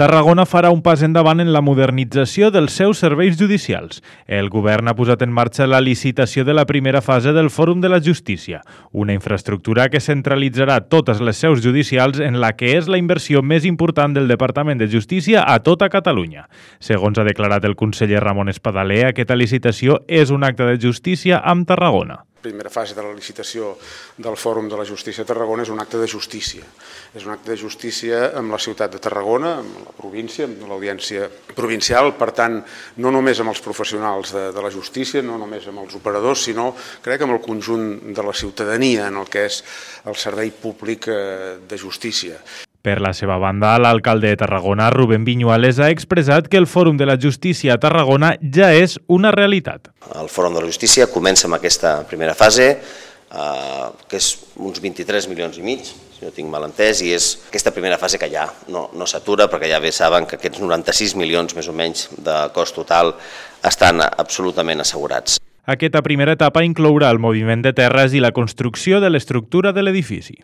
Tarragona farà un pas endavant en la modernització dels seus serveis judicials. El govern ha posat en marxa la licitació de la primera fase del Fòrum de la Justícia, una infraestructura que centralitzarà totes les seus judicials en la que és la inversió més important del Departament de Justícia a tota Catalunya. Segons ha declarat el conseller Ramon Espadaler, aquesta licitació és un acte de justícia amb Tarragona. La primera fase de la licitació del Fòrum de la Justícia a Tarragona és un acte de justícia. És un acte de justícia amb la ciutat de Tarragona, amb la província, amb l'audiència provincial, per tant, no només amb els professionals de la justícia, no només amb els operadors, sinó, crec, amb el conjunt de la ciutadania en el que és el servei públic de justícia. Per la seva banda, l'alcalde de Tarragona, Rubén Viñuales, ha expressat que el Fòrum de la Justícia a Tarragona ja és una realitat. El Fòrum de la Justícia comença amb aquesta primera fase, que és uns 23 milions i mig, si no tinc mal entès, i és aquesta primera fase que ja no s'atura, perquè ja bé saben que aquests 96 milions més o menys de cost total estan absolutament assegurats. Aquesta primera etapa inclourà el moviment de terres i la construcció de l'estructura de l'edifici.